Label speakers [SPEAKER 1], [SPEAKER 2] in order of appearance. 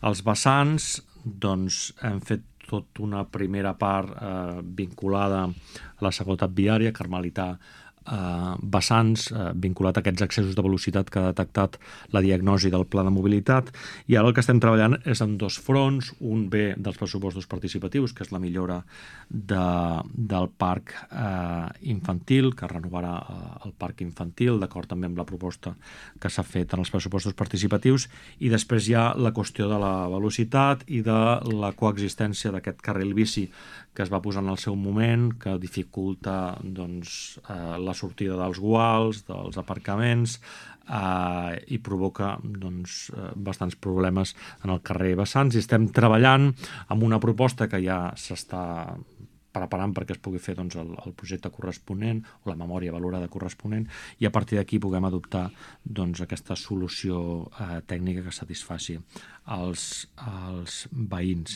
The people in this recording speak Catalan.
[SPEAKER 1] Els vessants, doncs, hem fet tota una primera part vinculada a la seguretat viària, Carmelità vessants, vinculat a aquests excessos de velocitat que ha detectat la diagnosi del pla de mobilitat, i ara el que estem treballant és en dos fronts. Un ve dels pressupostos participatius, que és la millora del parc infantil, que renovarà el parc infantil, d'acord també amb la proposta que s'ha fet en els pressupostos participatius, i després hi ha la qüestió de la velocitat i de la coexistència d'aquest carril bici que es va posar en el seu moment, que dificulta la sortida dels guals, dels aparcaments, i provoca bastants problemes en el carrer Vessants, i estem treballant amb una proposta que ja s'està preparant perquè es pugui fer el projecte corresponent o la memòria valorada corresponent, i a partir d'aquí puguem adoptar aquesta solució tècnica que satisfaci els veïns.